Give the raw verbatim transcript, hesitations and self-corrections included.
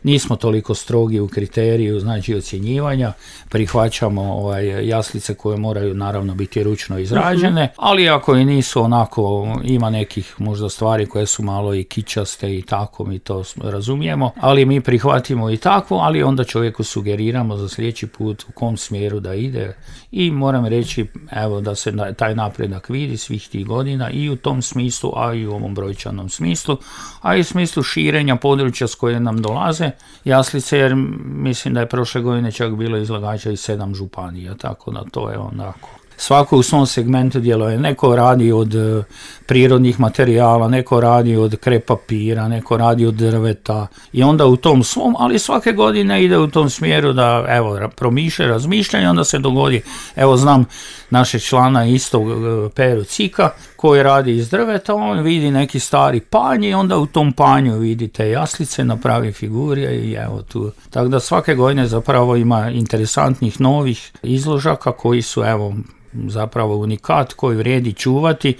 nismo toliko strogi u kriteriju, znači ocjenjivanja, prihvaćamo ovaj, jaslice koje moraju naravno biti ručno izrađene, ali ako i nisu onako, ima nekih možda stvari koje su malo i kičaste i tako, mi to razumijemo, ali mi prihvatimo i takvo, ali onda čovjeku sugeriramo za sljedeći put u kom smjeru da ide i moram reći, evo, da se taj napredak vidi svih tih godina i u tom smislu, a i u ovom brojčanom smislu, a i u smislu širenja područja s koje nam dolaze jaslice, jer mislim da je prošle godine čak bilo izlagača i sedam županija, tako da to je onako. Svako u svom segmentu djeluje. Neko radi od e, prirodnih materijala, neko radi od krep papira, neko radi od drveta i onda u tom svom, ali svake godine ide u tom smjeru da evo promišlja, razmišlja i onda se dogodi. Evo znam našeg člana isto e, Peru Cika koji radi iz drveta, on vidi neki stari panj i onda u tom panju vidite jaslice, napravi figure i evo tu. Tako da svake godine zapravo ima interesantnih novih izložaka koji su evo zapravo unikat koji vrijedi čuvati